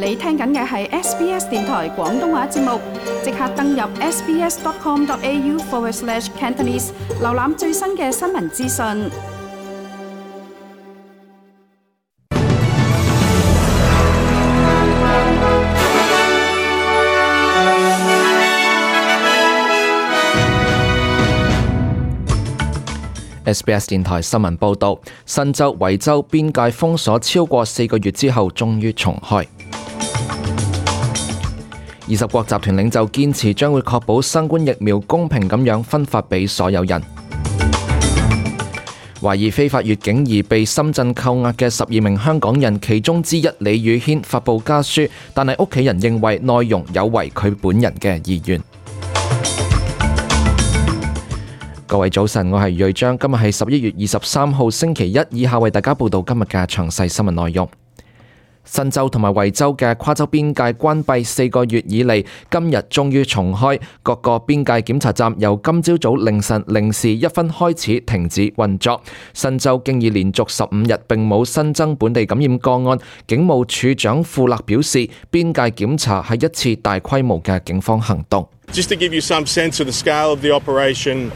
你聽緊嘅係 SBS 電台廣東話節目，即刻登入 sbs.com.au/Cantonese 瀏覽最新嘅新聞資訊。SBS 電台新聞報導，新州維州邊界封鎖超過4個月之後，終於重開。20國集團領袖堅持將會確保新冠疫苗公平咁樣分發俾所有人。懷疑非法越境而被深圳扣押嘅12名香港人，其中之一李宇軒發布家書，但係屋企人認為內容有違佢本人嘅意願。各位早晨，我係瑞章，今日係11月23號星期一，以下為大家報道今日嘅詳細新聞內容。新州同埋維州嘅跨州邊界關閉4個月以嚟，今日終於重開，各個邊界檢查站由今朝早凌晨0時1分開始停止運作。新州經已連續15日並冇新增本地感染個案。警務處長富勒表示，邊界檢查係一次大規模嘅警方行動。Just to give you some sense of the scale of the operation.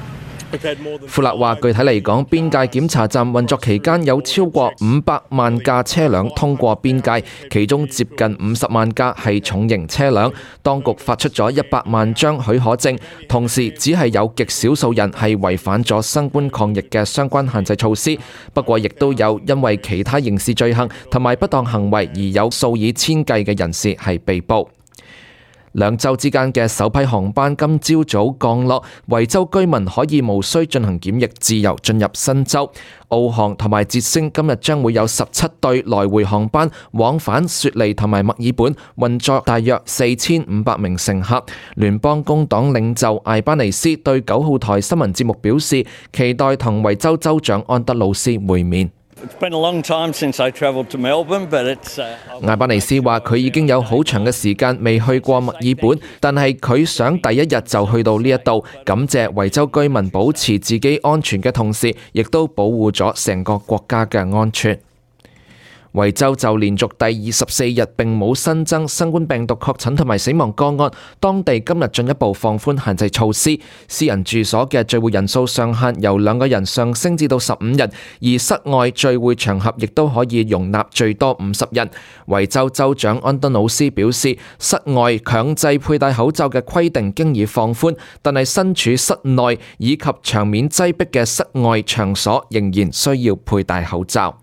富勒話：具體嚟講，邊界檢查站運作期間有超過500萬架車輛通過邊界，其中接近50萬架係重型車輛。當局發出咗100萬張許可證，同時只係有極少數人係違反咗新冠抗疫嘅相關限制措施。不過，亦都有因為其他刑事罪行同埋不當行為而有數以千計嘅人士係被捕。兩州之間嘅首批航班今朝早降落，維州居民可以無需進行檢疫，自由進入新州。澳航同埋捷星今日將會有17對來回航班往返雪梨同埋墨爾本，運作大約4500名乘客。聯邦工黨領袖艾班尼斯對9號台新聞節目表示，期待同維州州長安德魯斯會面。艾班尼斯話：佢已經有好長嘅時間未去過墨爾本，但係佢想第一日就去到呢一度，感謝維州居民保持自己安全嘅同時，亦都保護咗成個國家嘅安全。維州就連續第24日並冇新增新冠病毒確診同埋死亡個案，當地今日進一步放寬限制措施，私人住所嘅聚會人數上限由2個人上升至到15人，而室外聚會場合亦都可以容納最多50人。維州州長安德魯斯表示，室外強制佩戴口罩嘅規定經已放寬，但係身處室內以及場面擠迫嘅室外場所仍然需要佩戴口罩。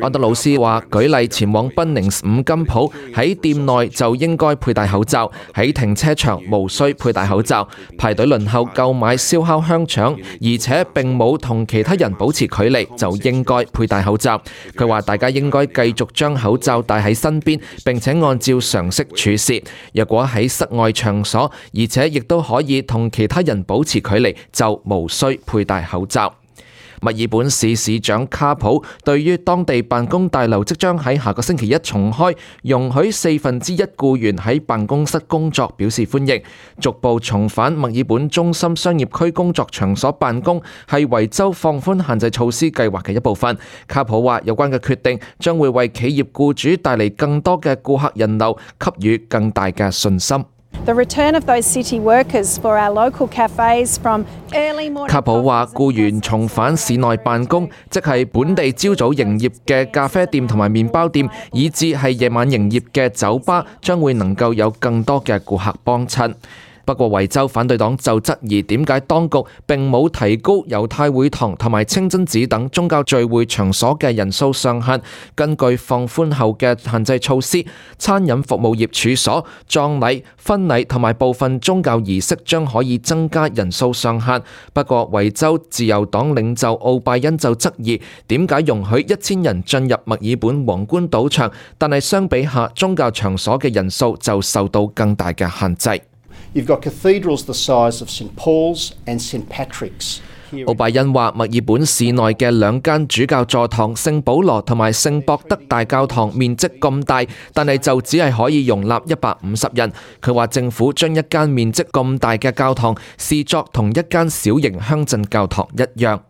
安德魯斯話：舉例前往賓寧斯5金鋪，喺店內就應該佩戴口罩；喺停車場無需佩戴口罩。排隊輪候購買燒烤香腸，而且並冇同其他人保持距離，就應該佩戴口罩。佢話：大家應該繼續將口罩帶喺身邊，並且按照常識處事。若果喺室外場所，而且亦都可以同其他人保持距離，就無需佩戴口罩。墨爾本市市長卡普對於當地辦公大樓即將喺下個星期一重開，容許1/4僱員喺辦公室工作表示歡迎。逐步重返墨爾本中心商業區工作場所辦公係維州放寬限制措施計劃嘅一部分。卡普話：有關嘅決定將會為企業僱主帶嚟更多嘅顧客人流，給予更大嘅信心。卡普話：僱員重返市內辦公，即係本地朝早營業嘅咖啡店同埋麵包店，以至係夜晚營業嘅酒吧，將會能夠有更多嘅顧客幫襯。不過維州反對黨就質疑點解當局並冇提高猶太會堂同埋清真寺等宗教聚會場所嘅人數上限。根據放寬後嘅限制措施，餐飲服務業處所、葬禮、婚禮同埋部分宗教儀式將可以增加人數上限。不過維州自由黨領袖奧拜恩就質疑點解容許1000人進入墨爾本皇冠賭場，但係相比下宗教場所嘅人數就受到更大嘅限制。You've got cathedrals the size of St. Paul's and St. Patrick's. 奧拜恩話：墨爾本市內嘅2間主教座堂聖保羅同埋聖博德大教堂面積咁大，但係就只係可以容納150人。佢話政府將一間面積咁大嘅教堂視作同一間小型鄉鎮教堂一樣。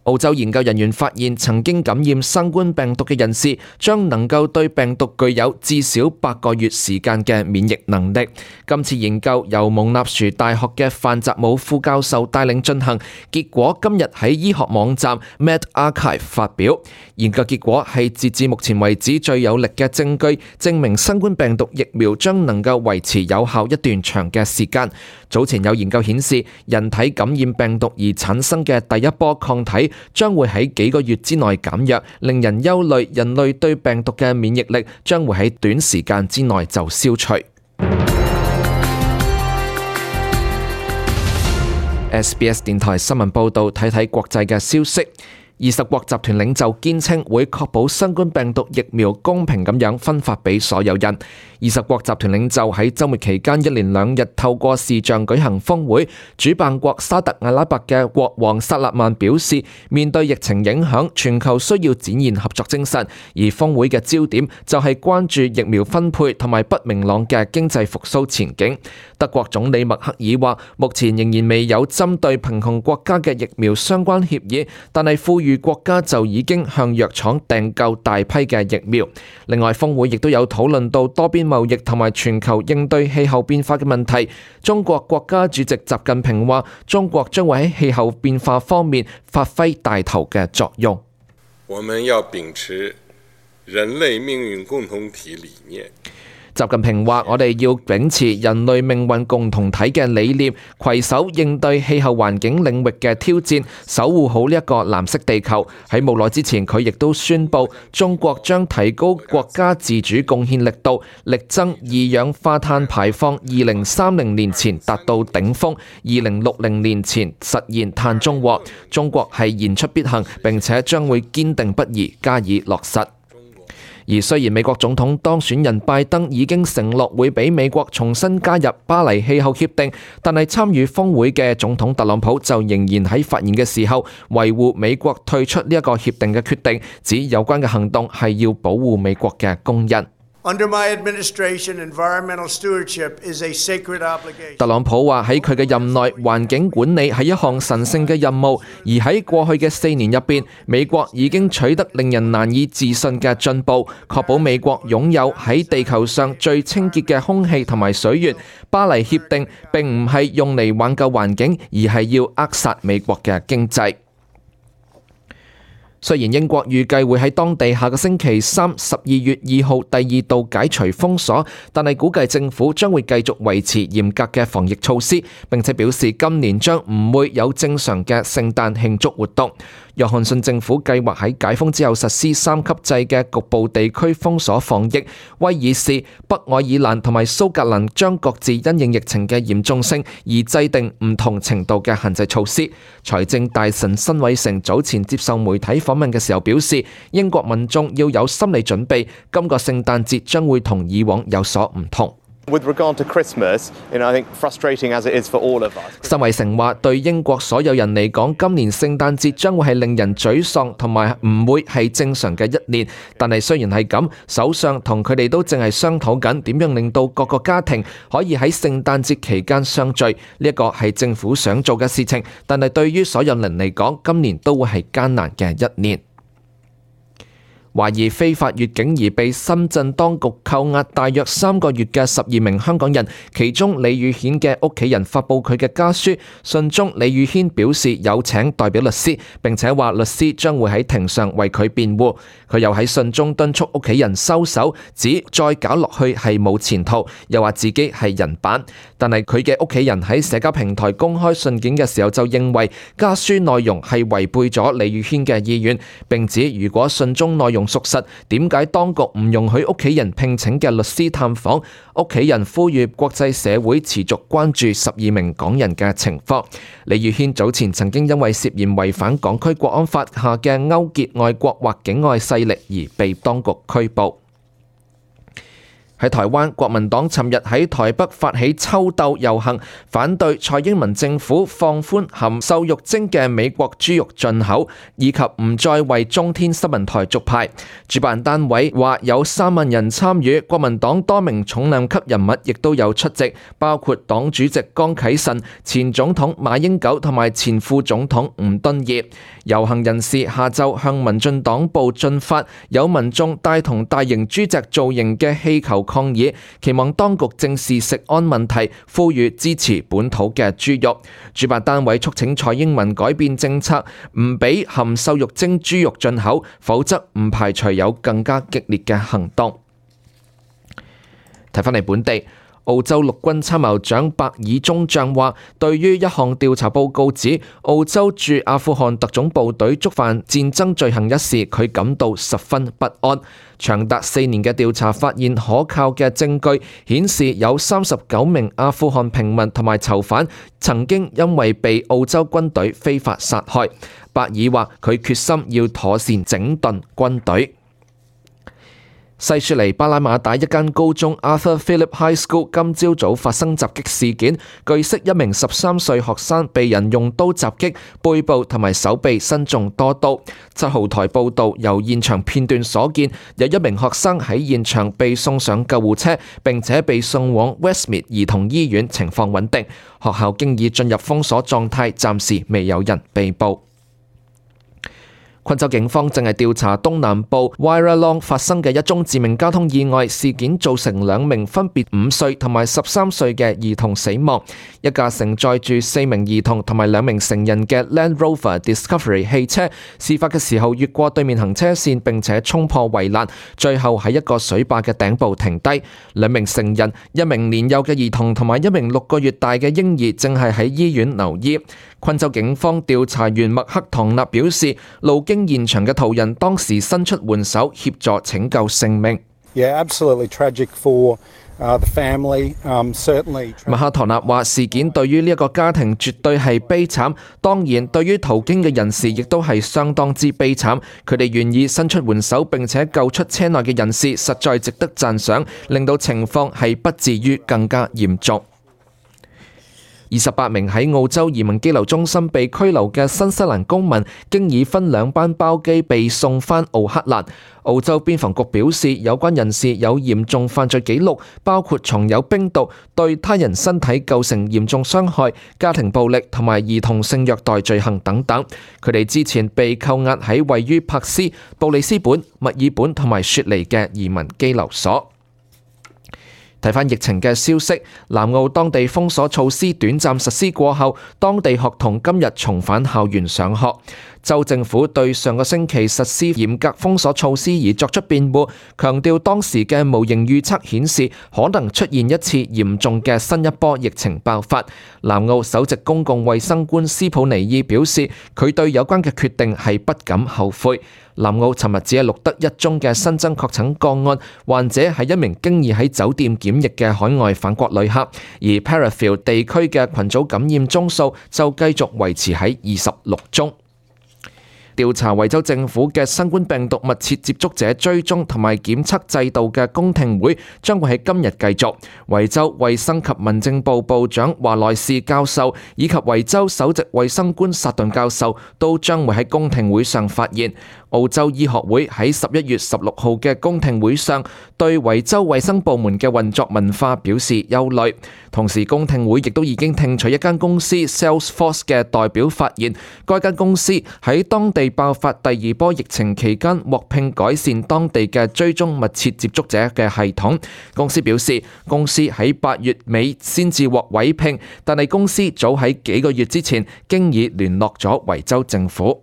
澳洲研究人員發現，曾經感染新冠病毒嘅人士將能夠對病毒具有至少8個月時間嘅免疫能力。今次研究由蒙納殊大學嘅范澤姆副教授帶領進行，結果今日喺醫學網站 medRxiv 發表。研究結果係截至目前為止最有力嘅證據，證明新冠病毒疫苗將能夠維持有效一段長嘅時間。早前有研究顯示，人體感染病毒而產生嘅第一波抗體將會喺幾個月之內減弱，令人憂慮人類對病毒嘅免疫力將會喺短時間之內就消除。SBS 電台新聞報導，睇睇國際嘅消息。20國集團領袖堅稱會確保新冠病毒疫苗公平咁樣分發俾所有人。20國集團領袖喺週末期間一連2日透過視像舉行峰會。主辦國沙特阿拉伯嘅國王薩勒曼表示，面對疫情影響，全球需要展現合作精神，而峰會嘅焦點就係關注疫苗分配同埋不明朗嘅經濟復甦前景。德國總理默克爾話，目前仍然未有針對貧窮國家嘅疫苗相關協議，但係富裕國家就已經向藥廠訂購大批嘅疫苗。另外，峰會亦都有討論到多邊貿易同埋全球應對氣候變化嘅問題。中國國家主席習近平話，中國將會喺氣候變化方面發揮帶頭嘅作用。我們要秉持人類命運共同體理念。習近平話：我哋要秉持人類命運共同體嘅理念，攜手應對氣候環境領域嘅挑戰，守護好呢一個藍色地球。喺冇耐之前，佢亦都宣布，中國將提高國家自主貢獻力度，力爭二氧化碳排放2030年前達到頂峰，2060年前實現碳中和。中國係言出必行，並且將會堅定不移加以落實。而雖然美國總統當選人拜登已經承諾會俾美國重新加入巴黎氣候協定，但係參與峰會嘅總統特朗普就仍然喺發言嘅時候維護美國退出呢一個協定嘅決定，指有關嘅行動係要保護美國嘅工人。Under my administration, environmental stewardship is a sacred obligation. 特朗普話喺佢嘅任內，環境管理係一項神聖嘅任務，而喺過去嘅4年入邊，美國已經取得令人難以置信嘅進步，確保美國擁有喺地球上最清潔嘅空氣同埋水源。巴黎協定並唔係用嚟挽救環境，而係要扼殺美國嘅經濟。雖然英國預計會喺當地下個星期3 12月2號第2度解除封鎖，但係估計政府將會繼續維持嚴格嘅防疫措施，並且表示今年將唔會有正常嘅聖誕慶祝活動。約翰遜政府計劃喺解封之後實施3級制嘅局部地區封鎖防疫。威爾士、北愛爾蘭同埋蘇格蘭將各自因應疫情嘅嚴重性而制定唔同程度嘅限制措施。財政大臣辛偉誠早前接受媒體訪問嘅時候表示，英國民眾要有心理準備，今個聖誕節將會同以往有所唔同。With regard to Christmas, I think frustrating as it is for all of us. 辛偉誠話：對英國所有人嚟講，今年聖誕節將會係令人沮喪，同埋唔會係正常嘅一年。但係雖然係咁，首相同佢哋都淨係商討緊點樣令到各個家庭可以喺聖誕節期間相聚。呢一個係政府想做嘅事情，但係對於所有人嚟講，今年都會係艱難嘅一年。懷疑非法越境而被深圳當局扣押大約3個月嘅12名香港人，其中李宇軒嘅屋企人發布佢嘅家書，信中李宇軒表示有請代表律師，並且話律師將會喺庭上為佢辯護。佢又喺信中敦促屋企人收手，指再搞落去係冇前途，又話自己係人版。但係佢嘅屋企人喺社交平台公開信件嘅時候就認為家書內容係違背咗李宇軒嘅意願，並指如果信中內容屬實，點解當局唔容許屋企人聘請嘅律師探訪？屋企人呼籲國際社會持續關注12名港人嘅情況。李宇軒早前曾經因為涉嫌違反港區國安法下嘅勾結外國或境外勢力而被當局拘捕。喺台灣，國民黨尋日喺台北發起秋鬥遊行，反對蔡英文政府放寬含瘦肉精嘅美國豬肉進口，以及唔再為中天新聞台續牌。主辦單位話有3萬人參與，國民黨多名重量級人物亦都有出席，包括黨主席江啟臣、前總統馬英九同埋前副總統吳敦義。遊行人士下晝向民進黨部進發，有民眾帶同大型豬隻造型嘅氣球抗議，期望當局正視食安問題，呼籲支持本土嘅豬肉。主辦單位促請蔡英文改變政策，唔俾含瘦肉精豬肉進口，否則唔排除有更加激烈嘅行動。睇返嚟本地，澳洲陸軍參謀長白爾中將話，對於一項調查報告指澳洲駐阿富汗特種部隊觸犯戰爭罪行一事，佢感到十分不安。長達4年嘅調查發現可靠嘅證據，顯示有39名阿富汗平民同埋囚犯曾經因為被澳洲軍隊非法殺害。白爾話佢決心要妥善整頓軍隊。西雪梨巴拉馬打一間高中 Arthur Phillip High School 今朝早發生襲擊事件，據悉一名13歲學生被人用刀襲擊，背部同埋手臂身中多刀。7號台報道，由現場片段所見，有一名學生喺現場被送上救護車，並且被送往 Westmead 兒童醫院，情況穩定。學校經已進入封鎖狀態，暫時未有人被捕。昆州警方正係調查東南部 Warralong 發生嘅一宗致命交通意外事件，造成2名分別5歲同埋13歲嘅兒童死亡。一架承載住4名兒童同埋2名成人嘅 Land Rover Discovery 汽車，事發嘅時候越過對面行車線，並且衝破圍欄，最後喺一個水壩嘅頂部停低。2名成人、1名年幼嘅兒童同埋1名6個月大嘅嬰兒正係喺醫院留醫。昆州警方調查員麥克唐納表示，路經現場嘅途人當時伸出援手協助拯救性命。Absolutely tragic for the family. Certainly. 麥克唐納話：事件對於呢一個家庭絕對係悲慘，當然對於途經嘅人士亦都係相當之悲慘。佢哋願意伸出援手並且救出車內嘅人士，實在值得讚賞，令到情況係不至於更加嚴重。28名喺澳洲移民羈留中心被拘留嘅新西蘭公民，經已分2班包機被送返奧克蘭。澳洲邊防局表示，有關人士有嚴重犯罪記錄，包括藏有冰毒、對他人身體構成嚴重傷害、家庭暴力同埋兒童性虐待罪行等等。佢哋之前被扣押喺位於珀斯、布里斯本、墨爾本同埋雪梨嘅移民羈留所。睇返疫情嘅消息，南澳當地封鎖措施短暫實施過後，當地學童今日重返校園上學。州政府對上個星期實施嚴格封鎖措施而作出辯護，強調當時嘅模型預測顯示可能出現一次嚴重嘅新一波疫情爆發。南澳首席公共衛生官斯普尼爾表示，佢對有關嘅決定係不感後悔。南澳尋日只係錄得1宗嘅新增確診個案，患者係一名經已喺酒店檢疫嘅海外返國旅客，而 Parafield 地區嘅群組感染宗數就繼續維持喺26宗。調查維州政府嘅新冠病毒密切接觸者追蹤同埋檢測制度嘅公聽會將會喺今日繼續。維州衛生及民政部部長華萊士教授以及維州首席衛生官薩頓教授都將會喺公聽會上發言。澳洲醫學會喺11月16號嘅公聽會上對維州衛生部門嘅運作文化表示憂慮。同時，公聽會亦都已經聽取一間公司 Salesforce 嘅代表發言，該間公司喺當地爆發第2波疫情期間獲聘改善當地嘅追蹤密切接觸者嘅系統。公司表示，公司喺8月尾先至獲委聘，但係公司早喺幾個月之前經已聯絡咗維州政府。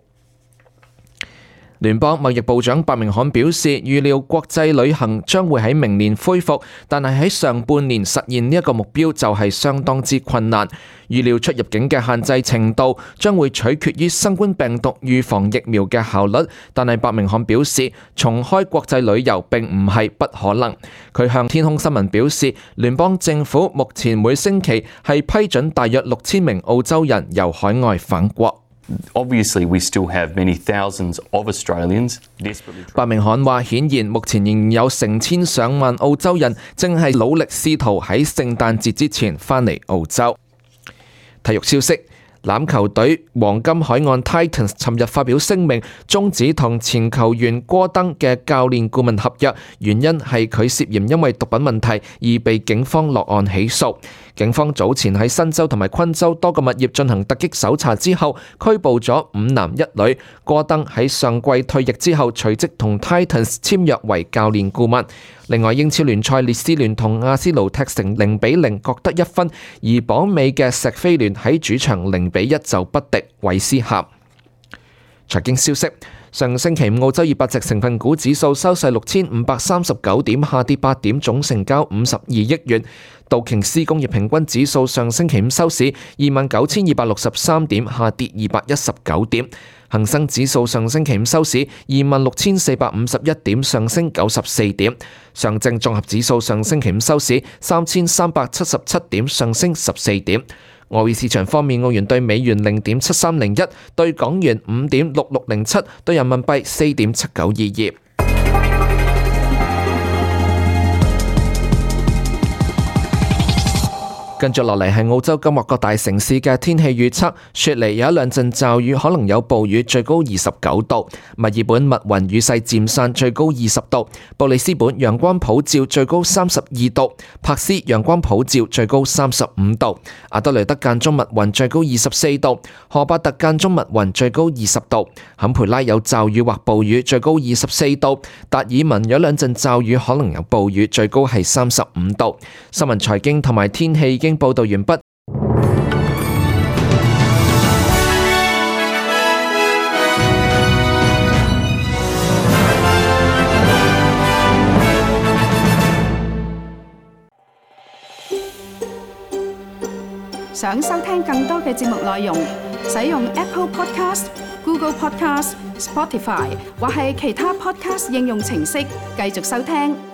聯邦貿易部長白明漢表示，預料國際旅行將會喺明年恢復，但係喺上半年實現呢一個目標就係相當之困難。預料出入境嘅限制程度將會取決於新冠病毒預防疫苗嘅效率，但係白明漢表示，重開國際旅遊並唔係不可能。佢向天空新聞表示，聯邦政府目前每星期係批准大約6000名澳洲人由海外返國。Obviously, we still have many thousands of Australians desperately. 伯明翰話：顯然目前仍然有成千上萬澳洲人正係努力試圖喺聖誕節之前返嚟澳洲。體育消息。欖球隊黃金海岸 Titans 尋日發表聲明，終止同前球員戈登嘅教練顧問合約，原因係佢涉嫌因為毒品問題而被警方落案起訴。警方早前喺新州同埋昆州多個物業進行突擊搜查之後，拘捕咗5男1女。戈登喺上季退役之後，隨即同 Titans 簽約為教練顧問。另外，英超聯賽列斯聯同阿仙奴踢成0-0，各得1分，而榜尾嘅錫菲聯喺主場0-1就不敵韋斯咸。財經消息。上星期五澳洲200隻成分股指數收市6539點，下跌8點，總成交52億元。道瓊斯工業平均指數上星期五收市29,263點，下跌219點。恒生指數上星期五收市26,451點，上升94點。上證綜合指數上星期五收市3,377點，上升14點。外匯市場方面，澳元對美元0.7301，對港元5.6607，對人民幣4.7922。跟住落嚟係澳洲今日各大城市嘅天氣預測。雪梨有一兩陣驟雨，可能有暴雨，最高29度。墨爾本密雲雨勢漸散，最高20度。布里斯本陽光普照，最高32度。珀斯陽光普照，最高35度。阿德雷德間中密雲，最高24度。荷巴特間中密雲，最高20度。坎培拉有驟雨或暴雨，最高24度。達爾文有兩陣驟雨，可能有暴雨，最高係35度。新聞財經同埋天氣已經報道完畢。想收聽更多嘅節目內容，使用 Apple Podcast、Google Podcast、Spotify 或係其他 Podcast 應用程式繼續收聽。